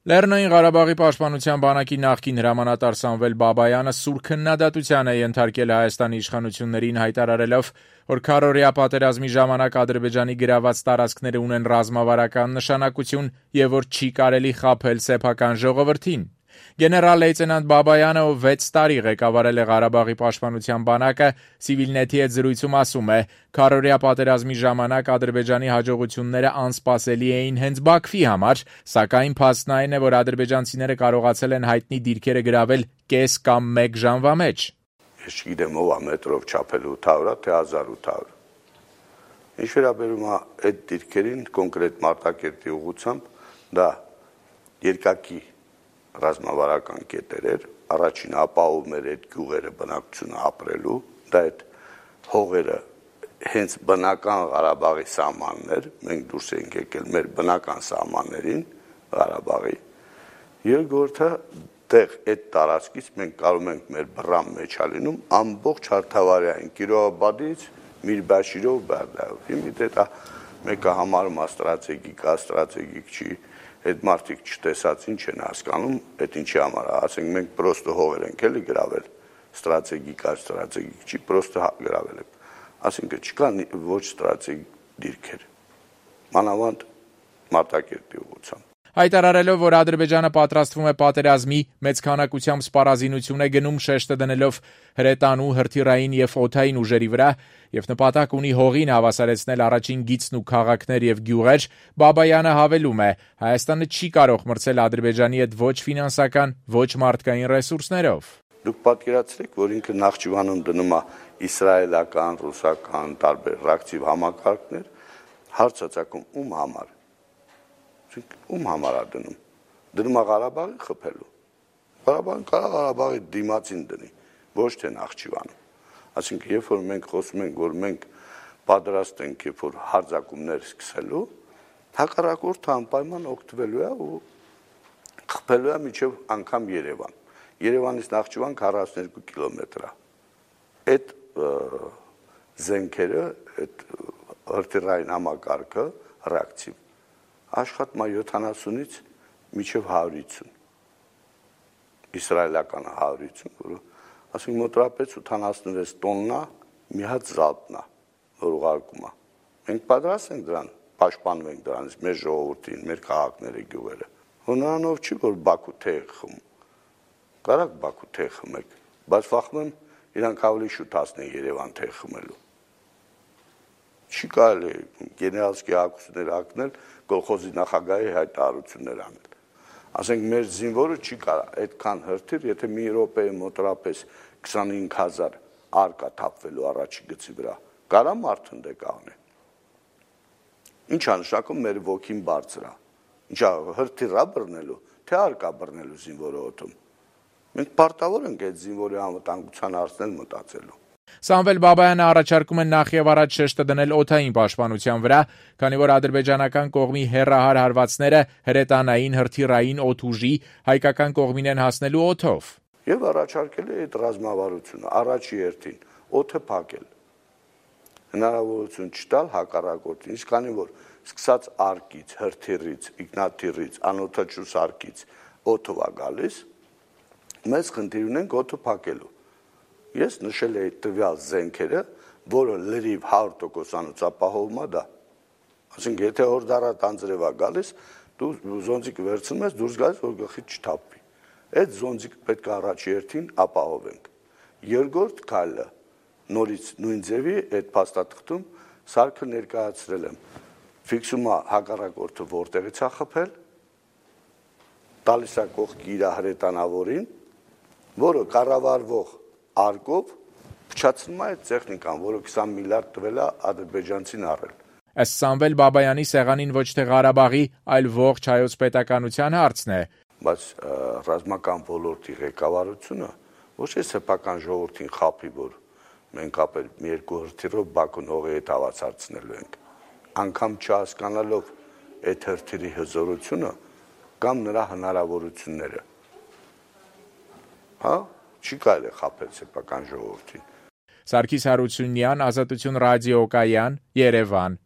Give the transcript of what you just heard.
Լեռնային Ղարաբաղի պաշտպանության բանակի նախկին հրամանատար Սամվել Բաբայանը սուր քննադատության է ենթարկել Հայաստանի իշխանություններին, հայտարարելով, որ քառօրյա պատերազմի ժամանակ Ադրբեջանի գրաված տարածքները ունեն ռազմավարական նշանակություն եւ որ չի կարելի խաբել սեփական ժողովրդին։ Գեներալ-լեյտենանտ Բաբայանը, ով 6 տարի ղեկավարել է Ղարաբաղի պաշտպանության բանակը, Civilnet-ի հետ զրույցում ասում է. «Քառօրյա պատերազմի ժամանակ Ադրբեջանի հաջողությունները անսպասելի էին հենց Բաքվի համար, սակայն փաստն այն է, որ ադրբեջանցիները կարողացել են հայտնի դիրքերը գրավել կես կամ 1 ժամվա մեջ»։ Ես չգիտեմ ով է մետրով չափել 800-ը, թե 1800-ը։ Ինչ վերաբերում է այդ դիրքերին կոնկրետ Մարտակերտի ուղղությամբ, դա երկակի ռազմավարական կետեր էր, առաջին ապահովում էր այդ գյուղերը բնակչությունը ապրելու, դա այդ հողերը հենց բնական Ղարաբաղի սահմաններ, մենք դուրս ենք եկել մեր բնական սահմաններին Ղարաբաղի, երկրորդը տեղ այդ տարածքից մենք կարող ենք մեր բռան մեջ ալինում ամբողջ Հարթավարյային Կիրովաբադից Միրբաշիրով Բարդայով, հիմա դա մեկը համարում է ստրատեգիկ չի, այդ մարդիկ չտեսած ինչ են հասկանում, այդ ինչի համար է, ասենք մենք պրոստը հողեր ենք էլի գրավել, ստրատեգիկ չի, պրոստը գրավել ենք, ասենք չկան ոչ ստրատեգիկ դիրքեր, մանավանդ Մարտակերտի ուղղությամբ։ Հայտարարելով, որ Ադրբեջանը պատրաստվում է պատերազմի, մեծ քանակությամբ սպառազինություն է գնում, շեշտը դնելով հրետանու, հրթիռային եւ օդային ուժերի վրա եւ նպատակ ունի հողին հավասարեցնել առաջին գիծն ու քաղաքներ եւ գյուղեր, Բաբայանը հավելում է. Հայաստանը չի կարող մրցել Ադրբեջանի հետ ոչ ֆինանսական, ոչ մարդկային ռեսուրսներով։ Դուք պատկերացրեք, որ ինքը Նախճիվանում դնում է իսրայելական, ռուսական, տարբեր ռեակտիվ համակարգներ, հարց ծագում ում համար։ Ում համար է դնում։ Դնում է Ղարաբաղի խփելու։ Ղարաբաղին կարող Ղարաբաղի դիմացին դնի, ոչ թե Նախճիվանում։ Այսինքն, երբ որ մենք խոսում ենք, որ մենք պատրաստ ենք, երբ որ հարձակումներ սկսելու, հակառակորդը անպայման օգտվելու է ու խփելու է մինչև անգամ Երևան։ Երևանից Նախճիվան 42 կիլոմետր է։ Այդ զենքերը, այդ հրթիռային համակարգը ռեակտիվ աշխատում է 70-ից մինչև 150, իսրայելականը 150, որը ասենք մոտավորապես 86 տոննա մի հատ զալպն է, որ ուղարկում է։ Մենք պատրաստ ենք դրան, պաշտպանում ենք դրանից մեր ժողովրդին, մեր քաղաքները, գյուղերը։ Հոնրանով չի, որ Բաքու թեյ խմում, կարակ Բաքու թեյ խմեք, բայց վախում եմ իրանք ավելի շուտ հասնեն Երևան թեյ խմելու։ Չի կարելի գեներալսկի ակուսներ ակնել, կոլխոզի նախագահի հայտարարություններ անել։ Ասենք մեր զինվորը չի կարող այդքան հրթիռ, եթե մի րոպեի մոտավորապես 25000 արկա թափվելու առաջի գծի վրա, կարա մարդը կաղնի։ Ինչ է նշանակում մեր ոգին բարձր է։ Ինչա հրթիռ բռնելու, թե արկա բռնելու զինվորը օդում։ Մենք պարտավոր ենք այդ զինվորի անվտանգության հարցնել մտածելու։ Սամվել Բաբայանը առաջարկում է նախ եւ առաջ շեշտը դնել օդային պաշտպանության վրա, քանի որ ադրբեջանական կողմի հեռահար հարվածները հրետանային, հրթիռային, օդուժի հայկական կողմին են հասնելու օդով։ Եվ առաջարկել է այդ ռազմավարությունը առաջի հերթին օդը փակել։ Հնարավորություն չտալ հակառակորդին, իսկ քանի որ սկսած արկից, հրթիռից, ինքնաթիռից, անօդաչու սարքից օդով է գալիս, մեծ խնդիր ունենք օդը փակելու։ Ես նշել եմ տվյալ զենքերը, որը լրիվ 100% ապահովում է դա։ Այսինքն, եթե հորդառատ անձրև է գալիս, դու զոնտիկը վերցնում ես, դուրս գալիս, որ գլխից չթափվի։ Այդ զոնտիկը պետք է առաջի հերթին ապահովենք։ Երկրորդ քայլը նորից նույն ձևի այդ փաստաթղթում սարքը ներկայացրել եմ։ Ֆիքսում է հակառակորդը որտեղից է խփել, տալիս է կողքի իր հրետանավորին, որը կառավարվող արկով փչացնում է այդ տեխնիկան, որը 20 միլիարդ տվել է ադրբեջանցին առել։ Ըստ Սամվել Բաբայանի սեղանին ոչ թե Ղարաբաղի, այլ ողջ հայոց պետականության հարցն է։ Բայց ռազմական ոլորտի ղեկավարությունը ոչ թե սեփական ժողովրդին խափի, որ մենք ապել մի երկու հրթիռով Բաքուն հողի հետ հավասարցնելու ենք, անգամ չհասկանալով այդ հրթիռի հզորությունը կամ նրա հնարավորությունները։ Հա, չի կարելի խափել սեփական ժողովրդին։ Սարգիս Հարությունյան, Ազատություն ռադիոկայան, Երևան։